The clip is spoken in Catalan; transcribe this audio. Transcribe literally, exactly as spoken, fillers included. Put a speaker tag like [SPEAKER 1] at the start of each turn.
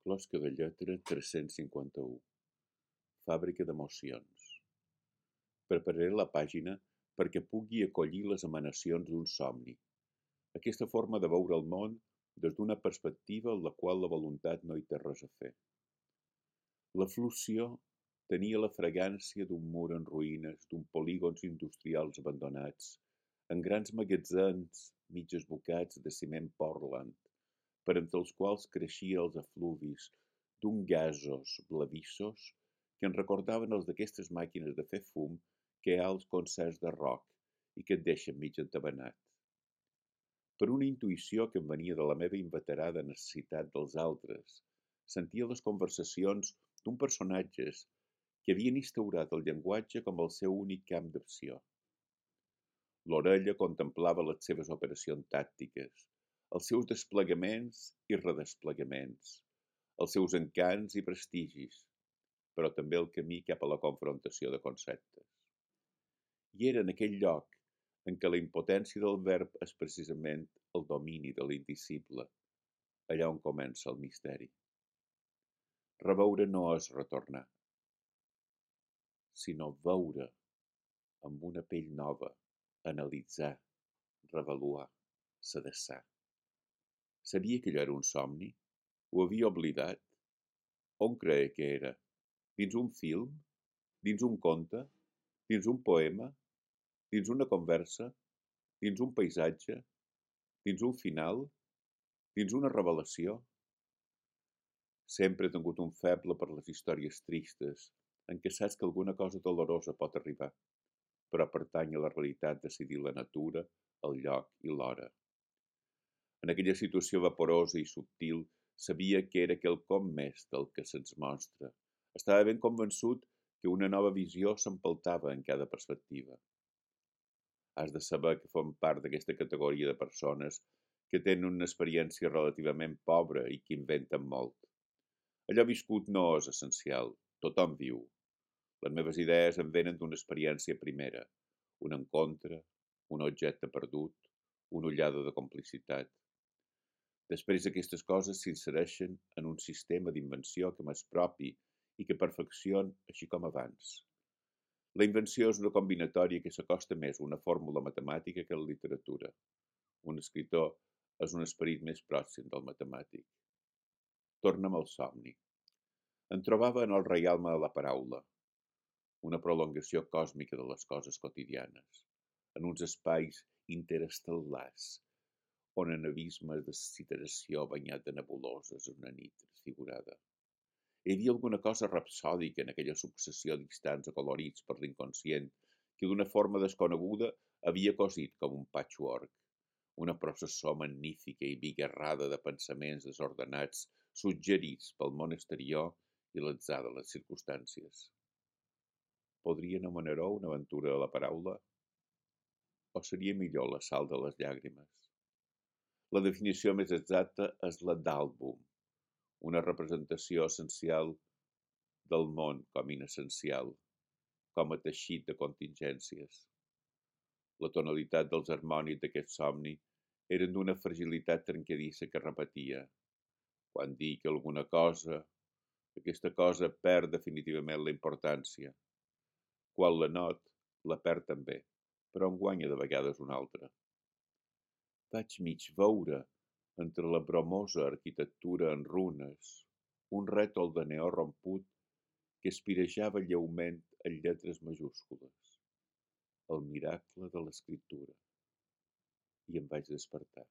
[SPEAKER 1] Closca de lletra tres-cents cinquanta-u. Fàbrica d'emocions. Prepararé la pàgina perquè pugui acollir les emanacions d'un somni. Aquesta forma de veure el món des d'una perspectiva en la qual la voluntat no hi té res a fer. La Flúcio tenia la fragància d'un mur en ruïnes, d'un polígons industrials abandonats, en grans magatzems mig esbocats de ciment Portland, per entre els quals creixien els efluvis d'un gasos blavissos que en recordaven els d'aquestes màquines de fer fum que hi ha als concerts de rock i que et deixen mig entabanat. Per una intuïció que em venia de la meva inveterada necessitat dels altres, sentia les conversacions d'un personatges que havien instaurat el llenguatge com el seu únic camp d'acció. L'orella contemplava les seves operacions tàctiques, els seus desplegaments i redesplegaments, els seus encants i prestigis, però també el camí cap a la confrontació de conceptes. I era en aquell lloc en què la impotència del verb és precisament el domini de l'indicible, allà on comença el misteri. Reveure no és retornar, sinó veure amb una pell nova, analitzar, revaluar, sedessar. Sabia que allò era un somni? Ho havia oblidat? On creia que era? Dins un film? Dins un conte? Dins un poema? Dins una conversa? Dins un paisatge? Dins un final? Dins una revelació? Sempre he tingut un feble per les històries tristes, en què saps que alguna cosa dolorosa pot arribar, però pertany a la realitat decidir la natura, el lloc i l'hora. En aquella situació vaporosa i subtil, sabia que era quelcom més del que se'ns mostra. Estava ben convençut que una nova visió s'empeltava en cada perspectiva. Has de saber que form part d'aquesta categoria de persones que tenen una experiència relativament pobra i que inventen molt. Allò viscut no és essencial, tothom viu. Les meves idees em venen d'una experiència primera, un encontre, un objecte perdut, una ullada de complicitat. Després aquestes coses s'insereixen en un sistema d'invenció que m'és propi i que perfecciona així com abans. La invenció és una combinatòria que s'acosta més a una fórmula matemàtica que a la literatura. Un escriptor és un esperit més pròxim del matemàtic. Torna'm al somni. Em trobava en el reialme de la paraula, una prolongació còsmica de les coses quotidianes, en uns espais interestel·lars, on en abismes de citeració banyat de nebuloses en una nit transfigurada. Hi havia alguna cosa rapsòdica en aquella successió d'instants acolorits per l'inconscient que d'una forma desconeguda havia cosit com un patchwork, una processó magnífica i bigarrada de pensaments desordenats suggerits pel món exterior i l'atzar de les circumstàncies. Podria anomenar-ho una aventura de la paraula? O seria millor la sal de les llàgrimes? La definició més exacta és la d'àlbum, una representació essencial del món com inessencial, com a teixit de contingències. La tonalitat dels harmònics d'aquest somni eren d'una fragilitat trencadissa que repetia. Quan dic alguna cosa, aquesta cosa perd definitivament la importància. Quan la not, la perd també, però en guanya de vegades una altra. Vaig mig veure, entre la bromosa arquitectura en runes, un rètol de neó romput que espirejava lleument en lletres majúscules. El miracle de l'escriptura. I em vaig despertar.